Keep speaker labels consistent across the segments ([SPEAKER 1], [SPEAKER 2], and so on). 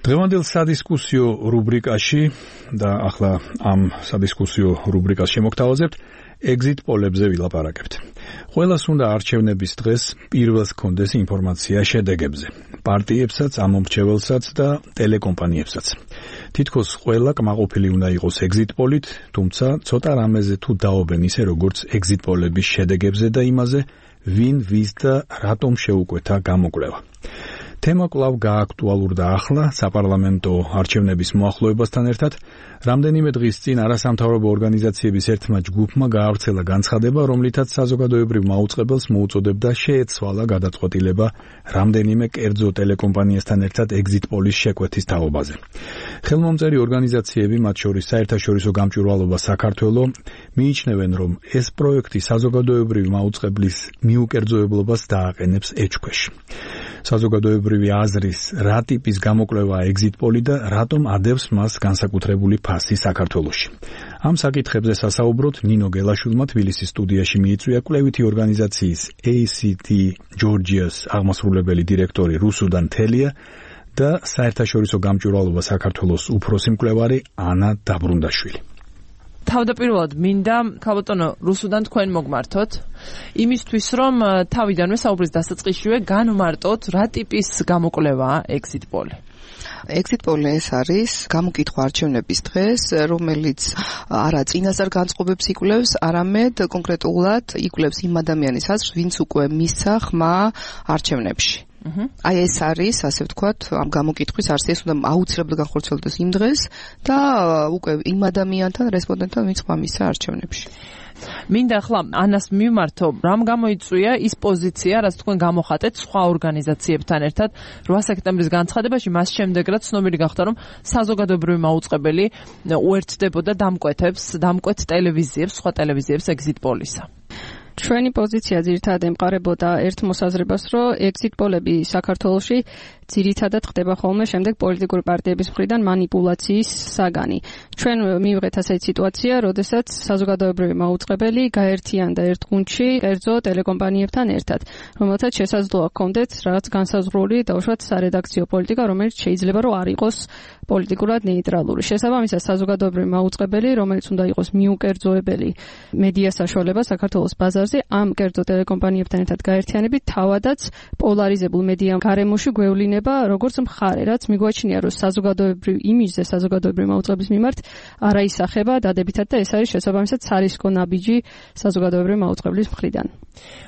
[SPEAKER 1] დღევანდელ სადისკუსიო რუბრიკაში და ახლა ამ სადისკუსიო რუბრიკას შემოგთავაზებთ exit პოლებზე ვილაპარაკებთ. ყველას უნდა არჩევნების დღეს პირველს გქონდეს ინფორმაცია შედეგებზე, პარტიებსაც, ამომრჩეველსაც და ტელეკომპანიებსაც. თითქოს ყველა კმაყოფილი უნდა იყოს exit პოლით, თუმცა ცოტა რამეზე თუ დაობენ ისე როგორც exit პოლების შედეგებზე და იმაზე, ვინ ვის და რატომ შეუკვეთა გამოკვლევა. თემა კვლავ გააქტუალურდა ახლა საპარლამენტო არჩევნების მოახლოებასთან ერთად. რამდენიმე დღის წინ არასამთავრობო ორგანიზაციების ერთმა ჯგუფმა გაავრცელა განცხადება, რომლითაც საზოგადოებრივ მაუწყებელს მოუწოდებდა შეეცვალა გადაწყვეტილება რამდენიმე კერძო ტელეკომპანიასთან ერთად exit პოლის შეკვეთის თაობაზე. ხელმომწერი ორგანიზაციები, მათ შორის საერთაშორისო გამჭვირვალობა საქართველო, მიიჩნევენ, რომ ეს პროექტი საზოგადოებრივ მაუწყებლის მიუკერძოებლობას დააყენებს ეჭქვეშ. საზოგადოებრივი აზრის რა ტიპის გამოკვლევაა exit პოლი და რატომ ადევს მას განსაკუთრებული ფასი საქართველოში. ამ საკითხებზე სასაუბროთ ნინო გელაშვილმა თბილისის სტუდიაში მიიწვია კვლევითი ორგანიზაციის ACT Georgia's აღმასრულებელი დირექტორი რუსუდან თელია და საერთაშორისო გამჭვირვალობა საქართველოს უფროსი მკვლევარი ანა დაბრუნდაშვილი.
[SPEAKER 2] თავდაპირველად მინდა ქალბატონო რუსუდან თქვენ მოგმართოთ იმისთვის რომ თავიდანვე საუბრის დასაწყისშივე განვმარტოთ რა ტიპის გამოკვლევაა exit პოლი.
[SPEAKER 3] exit პოლი ეს არის გამოკითხვა არჩევნების დღეს, რომელიც არა წინასწარ განწყობებს იკვლევს, არამედ კონკრეტულად იკვლევს იმ ადამიანის აზრს, ვინც უკვე მისცა ხმა არჩევნებში. აი ეს არის, ასე ვთქვათ, ამ გამოკითხვის არსი, ეს უნდა აუცილებლად განხორციელდეს იმ დღეს და უკვე იმ ადამიანთან, რესპონდენტთან, ვინც ხმა მისცა არჩევნებში.
[SPEAKER 2] მინდა ახლა ანას მიმართო, რამ გამოიწვია ის პოზიცია, რაც თქვენ გამოხატეთ სხვა ორგანიზაციებთან ერთად 8 სექტემბრის განცხადებაში, მას შემდეგ რაც ცნობილი გახდა, რომ საზოგადოებრივი მაუწყებელი უერთდებოდა დამკვეთ ტელევიზიებს, სხვა ტელევიზიებს exit პოლისა.
[SPEAKER 4] ჩვენი პოზიცია ძირითადად ემყარებოდა ერთ მოსაზრებას, რომ exit პოლები საქართველოში ძირითადად ხდება ხოლმე შემდეგ პოლიტიკური პარტიების მხრიდან манипуляციის საგანი. ჩვენ მივიღეთ ასეთი სიტუაცია, როდესაც საზოგადოებრივი მაუწყებელი გაერთიანდა ერთ გუნდში კერძო ტელეკომპანიებთან ერთად, რომელთაც შესაძლოა ჰქონდეთ რაღაც განსაზღვრული დაუშვათ სარედაქციო პოლიტიკა, რომელიც შეიძლება რომ არ იყოს პოლიტიკურად ნეიტრალური. შესაბამისად, საზოგადოებრივი მაუწყებელი, რომელიც უნდა იყოს მიუკერძოებელი მედია საშუალება საქართველოს ბაზარზე, ამ კერძო ტელეკომპანიებთან ერთად გაერთიანებით თავადაც პოლარიზებულ მედია გარემოში გვევლინება როგორც მხარე, რაც მიგვაჩნია, რომ საზოგადოებრივ იმიჯზე, საზოგადოებრივი მაუწყებლობის მიმართ არა ისახება დადებითად და ეს არის შესაბამისად სარისკო ნაბიჯი საზოგადოებრივი მაუწყებლის მხრიდან.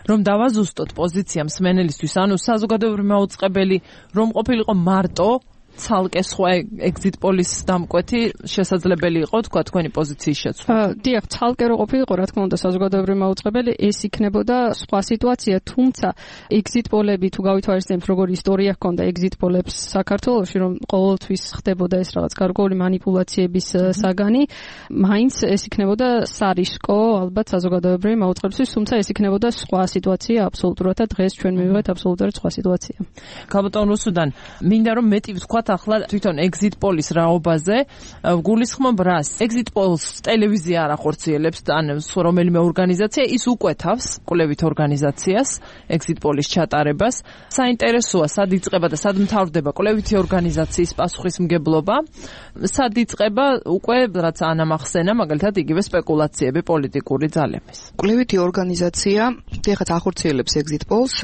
[SPEAKER 2] რომ დავაზუსტოთ პოზიცია მსმენელისთვის, ანუ საზოგადოებრივი მაუწყებელი რომ ყოფილიყო მარტო ცალკე სხვა exit პოლის დამკვეთი შესაძლებელი იყო თქვა თქვენი პოზიციის შეცვლა.
[SPEAKER 4] დიახ, ცალკე რო ყოფილიყო, რა თქმა უნდა, საზოგადოებრივი მაუწყებელი, ეს იქნებოდა სხვა სიტუაცია, თუმცა exit პოლები თუ გავითვალისწინებთ, როგორი ისტორია ჰქონდა exit პოლებს საქართველოში, რომ ყოველთვის ხდებოდა ეს რაღაც გარკვეული манипуляციების საგანი, მაინც ეს იქნებოდა სარისკო, ალბათ საზოგადოებრივი მაუწყებლისთვის, თუმცა ეს იქნებოდა სხვა სიტუაცია აბსოლუტურად და დღეს ჩვენ მივიღეთ აბსოლუტურად სხვა სიტუაცია.
[SPEAKER 2] ქალბატონ რუსუდან, მინდა რომ მეტი ვთქვა ახლა თვითონ exit პოლის რაობაზე, გულისხმობ რას? exit პოლს ტელევიზია არ ახორციელებს, ან რომელიმე ორგანიზაცია, ის უკვეთავს კვლევით ორგანიზაციას, exit პოლის ჩატარებას. საინტერესოა, სად იწყება და სად მთავრდება კვლევითი ორგანიზაციის პასუხისმგებლობა, სად იწყება უკვე რაც ანამახსენა, მაგალითად იგივე სპეკულაციები პოლიტიკური ძალების.
[SPEAKER 3] კვლევითი ორგანიზაცია ეხლა ახორციელებს exit პოლს,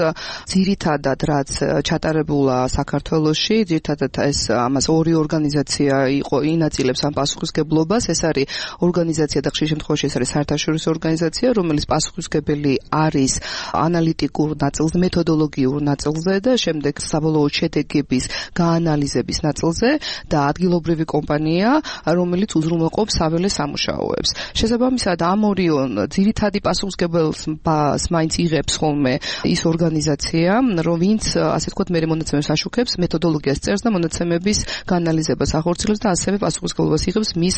[SPEAKER 3] ძირითადად რაც ჩატარებულა საქართველოში, ძირითადად ეს ამას ორი ორგანიზაცია იყო ინაწილებს ამ პასუხისგებლობას. ეს არის ორგანიზაცია და ხშირ შემთხვევაში ეს არის საერთაშორისო ორგანიზაცია, რომელიც პასუხისგებელი არის ანალიტიკურ ნაწილზე, მეთოდოლოგიურ ნაწილზე და შემდეგ საბოლოო შედეგების გაანალიზების ნაწილზე და ადგილობრივი კომპანია, რომელიც უზრუნველყოფს საველე სამუშაოებს. შესაბამისად, ამ ორიონ ძირითადი პასუხისგებელს მაინც იღებს ხოლმე ის ორგანიზაცია, რომ ვინც ასე ვთქვათ, მე მონაცემებს აშუქებს, მეთოდოლოგიას წერს და მონაცემების გაანალიზებას ახორციელებს და ასევე პასუხისგებლობას იღებს მის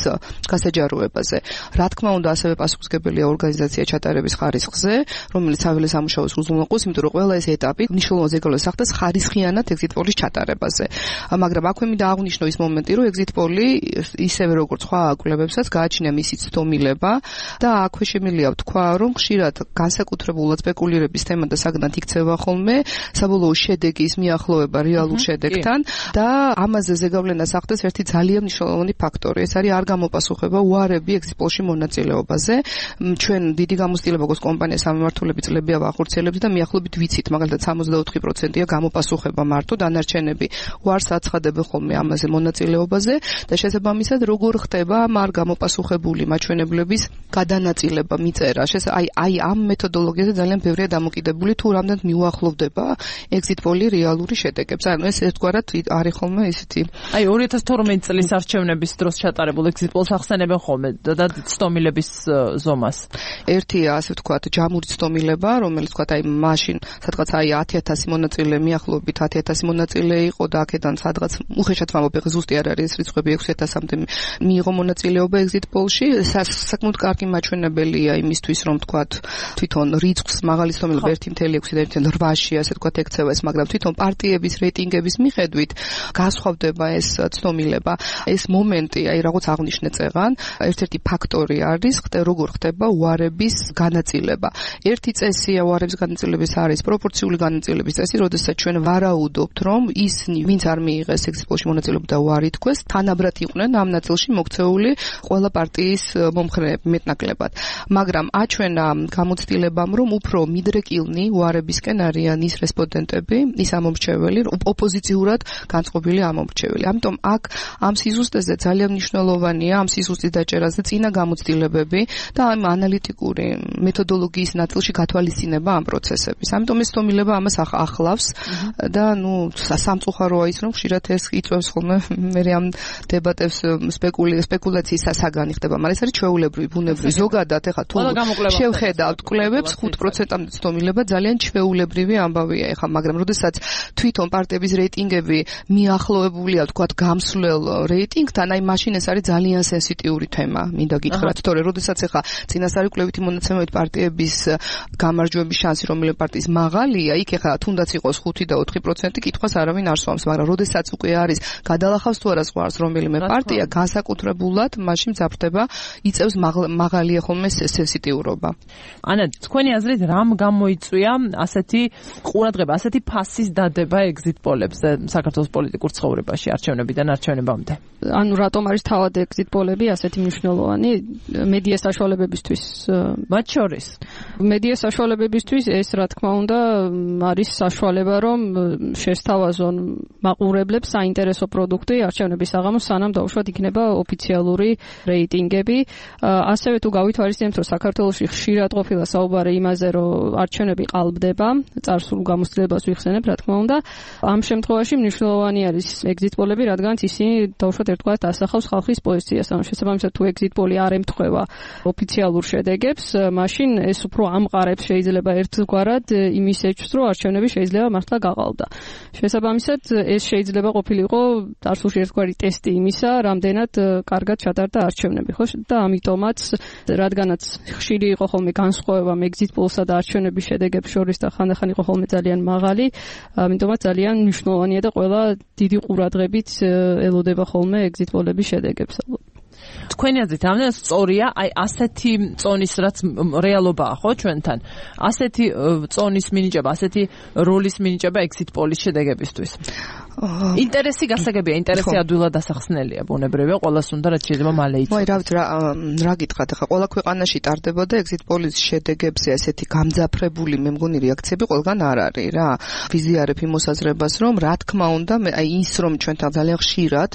[SPEAKER 3] გასაჯაროებაზე. რა თქმა უნდა, ასევე პასუხისგებელია ორგანიზაცია ჩატარების ხარისხზე, რომელიც საველე სამუშაოს უზრუნველყოფს, იმიტომ რომ ყველა ეს ეტაპი მნიშვნელოვან ზეგავლენას ახდენს ხარისხიანად exit პოლის ჩატარებაზე. მაგრამ აქვე მინდა აღვნიშნო ის მომენტი, რომ exit პოლი ისევე როგორც სხვა კვლევებსაც გააჩნია მისი ცდომილება და აქვე შემიძლია ვთქვა, რომ ხშირად განსაკუთრებულად სპეკულირების თემა და საგნად იქცევა ხოლმე საბოლოო შედეგის მიახლოვება რეალურ შედეგთან და ამაზე ზეგავლენას ახდენს ერთი ძალიან მნიშვნელოვანი ფაქტორი. ეს არის არ გამოპასუხება უარები exit poll-ში მონაწილეობაზე. ჩვენ დიდი გამოცდილება გვაქვს კომპანიას სამმართველები წლებია ვახორციელებს და მიახლოებით ვიცით, მაგალითად 64%-ია გამოპასუხება მარტო, დანარჩენები უარს აცხადებენ ხოლმე ამაზე მონაწილეობაზე და შესაბამისად როგორ ხდება ამ არ გამოპასუხებული მაჩვენებლების გადანაწილება მიწერა. აი ამ მეთოდოლოგიაზე ძალიან ბევრია დამოკიდებული თუ რამდენად მიუახლოვდება exit poll-ი რეალური შედეგებს. ანუ ეს ერთგვარად არის ხოლმე ისეთი.
[SPEAKER 2] აი 2012 წლის არჩევნების დროს ჩატარებულ exit poll-ს ახსენებენ ხოლმე და ცდომილების ზომას.
[SPEAKER 3] ერთია ასე ვთქვათ ჯამური ცდომილება, რომელიც ვთქვათ აი მაშინ სადღაც აი 10000 მონაწილე მიახლოებით 10000 მონაწილე იყო და აქედან სადღაც უხეშად ვამბობ, ზუსტი არ არის რიცხვები 6000-მდე მიიღო მონაწილეობა exit poll-ში. საკმაოდ კარგი მაჩვენებელია იმისთვის, რომ ვთქვათ თვითონ რიცხვს მაღალი ცდომილება 1.6 და 1.8-ში ასე ვთქვათ ექცევა ეს, მაგრამ თვითონ პარტიების რეიტინგების მიხედვით გასხვავდება ეს ცდომილება. ეს მომენტი, აი რაღაც აღნიშნე წეღან, ერთ-ერთი ფაქტორი არის, როგორ ხდება უარების განაწილება. ერთი წესია უარების განაწილების არის პროპორციული განაწილების წესი, როდესაც ჩვენ ვარაუდობთ, რომ ისინი, ვინც არ მიიღეს exit poll-ში მონაწილეობა და უარი თქვეს, თანაბრად იყვნენ ამ ნაწილში მოქცეული ყველა პარტიის მომხრეები მეტნაკლებად. მაგრამ აჩვენა გამოცდილებამ, რომ უფრო მიდრეკილნი უარებისკენ არიან ის რესპონდენტები, ის ამომრჩეველი, ოპოზიციურად განწყობილი ამომრჩეველი. ამიტომ აქ ამ სიზუსტეზე ძალიან მნიშვნელოვანია ამ სიზუსტის დაჭერაზე წინა გამოცდილებები და ამ ანალიტიკური მეთოდოლოგიის ნაწილში გათვალისწინება ამ პროცესების. ამიტომ ეს ცდომილება ამას ახლავს და სამწუხაროა ის, რომ ხშირად ეს იწვევს ხოლმე მე ამ დებატებს სპეკულაციის საგანი ხდება, მაგრამ ეს არის ჩვეულებრივი, ბუნებრივი. ზოგადად ეხლა თუ შევხედავთ კვლევებს 5%-მდე ცდომილება ძალიან ჩვეულებრივი ამბავია ეხლა, მაგრამ როდესაც თვითონ პარტიების რეიტინგები მიახლოებულია ვთქვათ გამსვლელ რეიტინგთან, აი მაშინ ეს არის ძალიან სენსიტიური თემა, მინდა გითხრათ, თორე როდესაც ეხლა წინასწარი კვლევითი მონაცემებით პარტიების გამარჯვების შანსი რომელიმე პარტიის მაღალია, იქ ეხლა თუნდაც იყოს 5 და 4% კითხვას არავინ არ სვამს, მაგრამ როდესაც უკვე არის გადალახავს თუ არა ზღვარს რომელიმე პარტია, განსაკუთრებულად მაშინ მძაფრდება, იწევს მაღალია ხოლმე სენსიტიურობა.
[SPEAKER 2] ანა, თქვენი აზრით რამ გამოიწვია ასეთი ყურადღება, ასეთი ფასის დადება exit poll-ებზე საქართველოს პოლიტიკურ ცხოვრებაში არჩევნებიდან არჩევნებამდე?
[SPEAKER 4] ანუ რატომ არის თავად exit poll-ები ასეთი მნიშვნელოვანი მედია საშუალებებისთვის?
[SPEAKER 2] მათ შორის
[SPEAKER 4] მედია საშუალებებისთვის ეს რა თქმა უნდა არის საშუალება, რომ შესთავაზონ მაყურებლებს საინტერესო პროდუქტი არჩევნების საღამოს, სანამ დაუშვათ იქნება ოფიციალური რეიტინგები. ასევე თუ გავითვალისწინებთ, რომ საქართველოში ხშირად ყოფილა საუბარი იმაზე, რომ არჩევნები ყალბდება, წარსულ გამოცდილებას ვიხსენებ, რა თქმა უნდა. ამ შემთხვევაში მნიშვნელოვანი არის exit poll-ები, რადგანაც ისინი დაუშვათ ერთგვარად ასახავს ხალხის პოზიციას. ანუ შესაბამისად თუ exit poll-ი არ ემთხვევა ოფიციალურ შედეგებს, მაშინ ეს უფრო ამყარებს შეიძლება ერთგვარად იმის ეჭვს, რომ არჩევნები შეიძლება მართლა გაყალბდა. შესაბამისად ეს შეიძლება ყოფილიყო წარსულში ერთგვარი ტესტი იმისა, რამდენად კარგად ჩატარდა არჩევნები, ხო? და ამიტომაც რადგანაც ხშირი იყო ხოლმე განსხვავება exit poll-სა და არჩევნების შედეგებს შორის და ხანდახან იყო ხოლმე ძალიან მაღალი, ამიტომაც ძალიან მნიშვნელოვანია და ყველა დიდი ყურადღებით ელოდება ხოლმე exit poll-ების შედეგებს.
[SPEAKER 2] თქვენი აზრით რამდენად სწორია აი ასეთი წონის რაც რეალობაა ხო ჩვენთან, ასეთი წონის მინიჭება, ასეთი როლის მინიჭება exit poll-ის შედეგებისთვის? ინტერესი გასაგებია, ინტერესი ადვილად დასახსნელია, ბუნებრივია, ყველას უნდა რაც შეიძლება მალე იცოდეს.
[SPEAKER 3] მოი, რა გითხრათ, ახლა ყველა ქვეყანაში ტარდებოდა exit poll-ის შედეგებზე ესეთი გამძაფრებული მე მგონი რეაქციები ყველგან არ არის რა. ვიზიარებ იმ მოსაზრებას, რომ რა თქმა უნდა, აი ის რომ ჩვენთან ძალიან ხშირად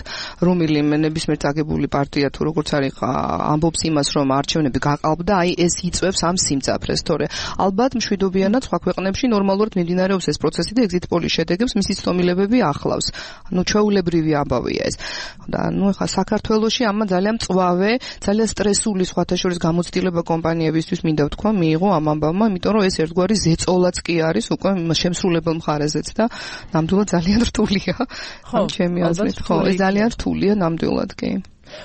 [SPEAKER 3] რომელიმე ნებისმიერ წაგებული პარტია თუ როგორც არის ამბობს იმას, რომ არჩევნები გაყალბდა, აი ეს იწვევს ამ სიმძაფრეს, თორე ალბათ მშვიდობიანად სხვა ქვეყნებში ნორმალურად მიმდინარეობს ეს პროცესი და exit poll-ის შედეგებს მისი ცდომილებები ახლავს. ანუ ჩვეულებრივი ამბავია ეს. და ნუ ახლა საქართველოში ამა ძალიან მწვავე, ძალიან სტრესული სხვათა შორის გამოცდილება კომპანიებისთვის მინდა ვთქვა, მიიღო ამ ამბავმა, იმიტომ რომ ეს ერთგვარი ზეწოლაც კი არის უკვე შემსრულებელ მხარეზეც და ნამდვილად ძალიან რთულია. ამ ჩემი აზრით, ხო, ეს ძალიან რთულია ნამდვილად კი.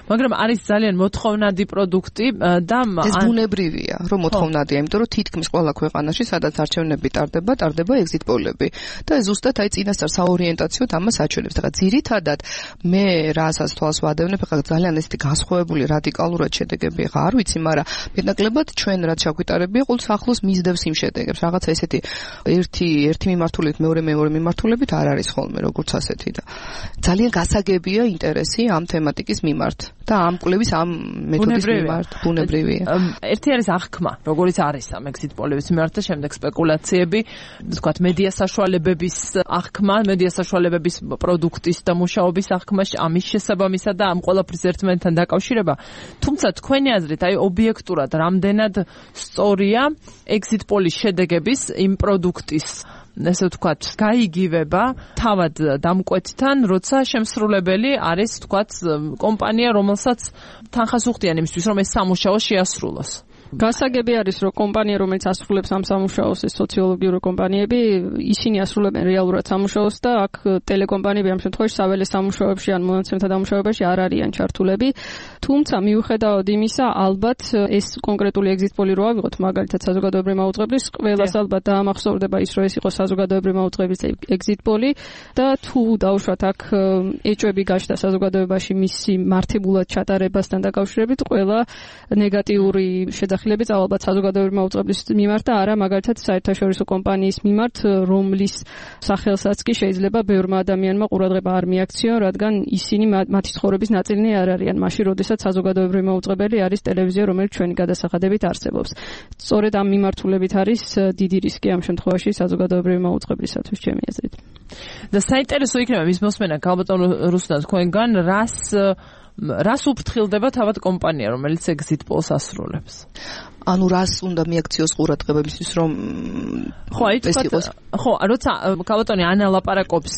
[SPEAKER 2] მაგრამ არის ძალიან მოთხოვნადი პროდუქტი და
[SPEAKER 3] ეს ბუნებრივია, რომ მოთხოვნადია, იმიტომ რომ თითქმის ყველა ქვეყანაში, სადაც არჩევნები ტარდება exit poll-ები და ზუსტად აი წინასწარ საორიენტაციოდ ამას აჩვენებს. და ძირითადად მე რასაც თვალს ვადევნებ, ახლა ძალიან ესეთი განსხვავებული რადიკალურად შედეგები ხა არ ვიცი, მაგრამ მეტნაკლებად ჩვენ რაც ჩაგვიტარებია, ყოველთვის ახლოს მისდევს იმ შედეგებს. რაღაცა ესეთი ერთი მიმართულებით, მეორე მიმართულებით არ არის ხოლმე როგორც ასეთი და ძალიან გასაგებია ინტერესი ამ თემატიკის მიმართ და ამ კვლევის ამ მეთოდის მიმართ ბუნებრივია.
[SPEAKER 2] ერთი არის აღქმა, როგორც არის ამ exit poll-ების მიმართ და შემდეგ სპეკულაციები, თქვათ მედია საშუალებების აღქმა, მედია საშუალებების პროდუქტის და მუშაობის აღქმა, ამის შესაბამისად და ამ ყველაფრის ერთმანეთთან დაკავშირება. თუმცა თქვენი აზრით, აი ობიექტურად რამდენად სწორია exit poll-ის შედეგების იმ პროდუქტის ესე ვთქვათ, გაიგივება თავად დამკვეთთან, როცა შემსრულებელი არის, ვთქვათ, კომპანია, რომელსაც თანხას უხდიან იმისთვის, რომ ეს სამუშაო შეასრულოს.
[SPEAKER 4] გასაგები არის, რომ კომპანია, რომელიც ასრულებს ამ სამუშაოს, ეს სოციოლოგიური კომპანიები, ისინი ასრულებენ რეალურად სამუშაოს და აქ ტელეკომპანიები ამ შემთხვევაში საველე სამუშაოებში ან მონაცემთა დამუშავებაში არ არიან ჩართულები. თუმცა მიუხედავად იმისა, ალბათ ეს კონკრეტული exit poll-ი რო ავიღოთ, მაგალითად საზოგადოებრივი მაუწყებლის, ყველას ალბათ დაამახსოვრდება ის, რომ ეს იყო საზოგადოებრივი მაუწყებლის exit poll-ი და თუ დავუშვათ აქ ეჭვები გაჩნდა საზოგადოებაში მისი მართებულად ჩატარებასთან დაკავშირებით, ყველა ნეგატიური შესახლებიც ალბათ საზოგადოებრივი მაუწყებლის მიმართ და არა მაგალითად საერთაშორისო კომპანიის მიმართ, რომლის სახელსაც კი შეიძლება ბევრმა ადამიანმა ყურადღება არ მიაქციონ, რადგან ისინი მათი ცხოვრების ნაწილი არ არიან, მაშინ როდესაც საზოგადოებრივი მაუწყებელი არის ტელევიზია, რომელიც ჩვენი გადასახადებით არსებობს. სწორედ ამ მიმართულებით არის დიდი რისკი ამ შემთხვევაში საზოგადოებრივი მაუწყებლისათვის, ჩემი აზრით.
[SPEAKER 2] და საინტერესო იქნება მის მოსმენა ქალბატონ რუსლან თქვენგან, რას უფრთხილდება თავად კომპანია, რომელიც exit poll-ს ასრულებს?
[SPEAKER 3] ანუ რას უნდა მიაქციოს ყურადღება იმისთვის, რომ ეს იყოს?
[SPEAKER 2] ხო, როცა ქალბატონი ანალაპარაკობს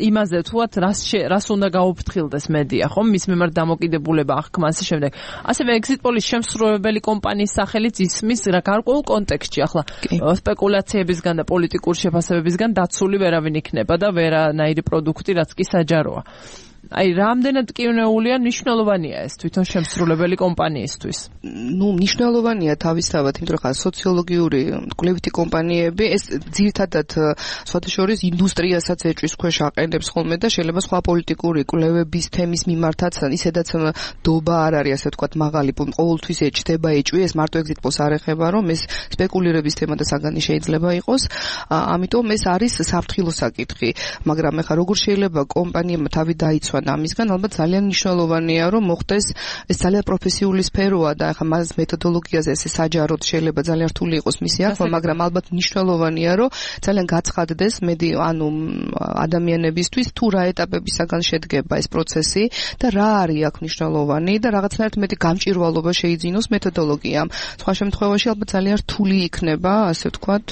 [SPEAKER 2] იმაზე, თუათ რას უნდა გაუფრთხილდეს მედია, ხო, მის მიმართ დამოკიდებულება აღქმა ასე შემდეგ. ასევე exit poll-ის შემსრულებელი კომპანიის სახელიც ისმის რა გარკვეულ კონტექსტში, ახლა სპეკულაციებისგან და პოლიტიკური შეფასებებისგან დაცული ვერავინ იქნება და ვერანაირი პროდუქტი, რაც კი საჯაროა. აი, რამდენად კივნეულია, მნიშვნელოვანია ეს თვითონ შემსრულებელი კომპანიისთვის?
[SPEAKER 3] მნიშვნელოვანია თავისთავად, იმიტომ რომ სოციოლოგიური კვლევითი კომპანიები ეს ძირითადად სხვადასხვა ინდუსტრიასაც ეჭვის ქვეშ აყენებს ხოლმე და შეიძლება სხვა პოლიტიკური კვლევების თემის მიმართაც ისედაც დობა არ არის, ასე ვთქვათ, მაღალი, ყოველთვის ეჭდება ეჭვი, ეს მარტო exit poll-ს არ ეხება, რომ ეს სპეკულირების თემა და საგანი შეიძლება იყოს. ამიტომ ეს არის საფრთხილო საკითხი, მაგრამ ეხლა როგორ შეიძლება კომპანიამ თავი დაიცვა ამისგან, ალბათ ძალიან მნიშვნელოვანია, რომ მოხდეს, ეს ძალიან პროფესიული სფეროა და ახლა მას მეთოდოლოგიაზე ესე საჯაროდ შეიძლება ძალიან რთული იყოს მისი აღქმა, მაგრამ ალბათ მნიშვნელოვანია, რომ ძალიან გაცხადდეს ადამიანებისთვის თუ რა ეტაპებისაგან შედგება ეს პროცესი და რა არის აქ მნიშვნელოვანი და რაღაცნაირად მეტი გამჭვირვალობა შეიძინოს მეთოდოლოგიამ. სხვა შემთხვევაში ალბათ ძალიან რთული იქნება, ასე ვთქვათ,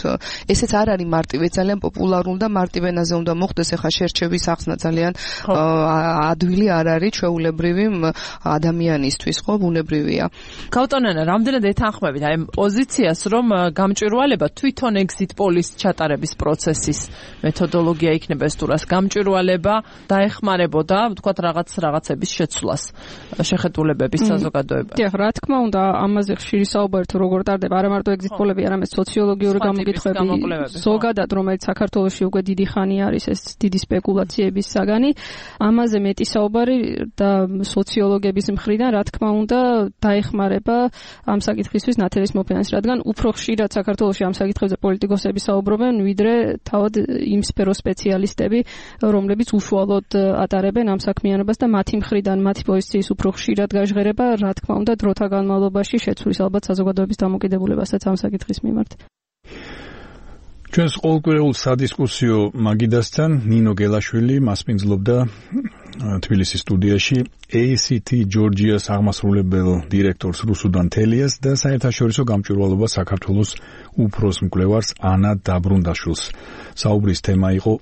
[SPEAKER 3] ესეც არ არის მარტივი, ძალიან პოპულარული და მარტივ ენაზე უნდა მოხდეს, ახლა შერჩევის ახსნა ძალიან ადვილი არ არის ჩვეულებრივი ადამიანისთვის, ხო, ბუნებრივია.
[SPEAKER 2] ქალბატონანა, რამდენად ეთანხმებით აი პოზიციას, რომ გამჭვირვალება თვითონ exit poll-ის ჩატარების პროცესის მეთოდოლოგია იქნება ეს თუ რას გამჭვირვალება დაეხმარებოდა, ვთქვათ, რაღაცების შეცვლას, შეხედულებების საზოგადოებაში.
[SPEAKER 4] დიახ, რა თქმა უნდა, ამაზე ხშირი საუბარი თუ როგორ ტარდება, არა მარტო exit poll-ები, არამედ სოციოლოგიური გამოკითხვები, ზოგადად, რომელიც საქართველოში უკვე დიდი ხანი არის ეს დიდი სპეკულაციების საგანი, ამაზე მეტი საუბარი და სოციოლოგების მხრიდან, რა თქმა უნდა, დაეხმარება ამ საკითხისთვის ნათელის მოფინანსი, რადგან უფრო ხშირად საქართველოში ამ საკითხებზე პოლიტიკოსები საუბრობენ, ვიდრე თავად იმ სფეროს სპეციალისტები, რომლებიც უშუალოდ ატარებენ ამ საქმიანობას და მათი მხრიდან, მათი პოზიციის უფრო ხშირად გაჟღერება, რა თქმა უნდა, დროთა განმავლობაში შეცვლის ალბათ საზოგადოების დამოკიდებულებასაც ამ საკითხის მიმართ.
[SPEAKER 1] ჩვენს ყოველკვირეულ სადისკუსიო მაგიდასთან ნინო გელაშვილი მასპინძლობდა თბილისის სტუდიაში ACT ჯორჯიას აღმასრულებელ დირექტორს რუსუდან თელიას და საერთაშორისო გამჭვირვალობა საქართველოს უფროს მკვლევარს ანა დაბრუნდაშვილს. საუბრის თემა იყო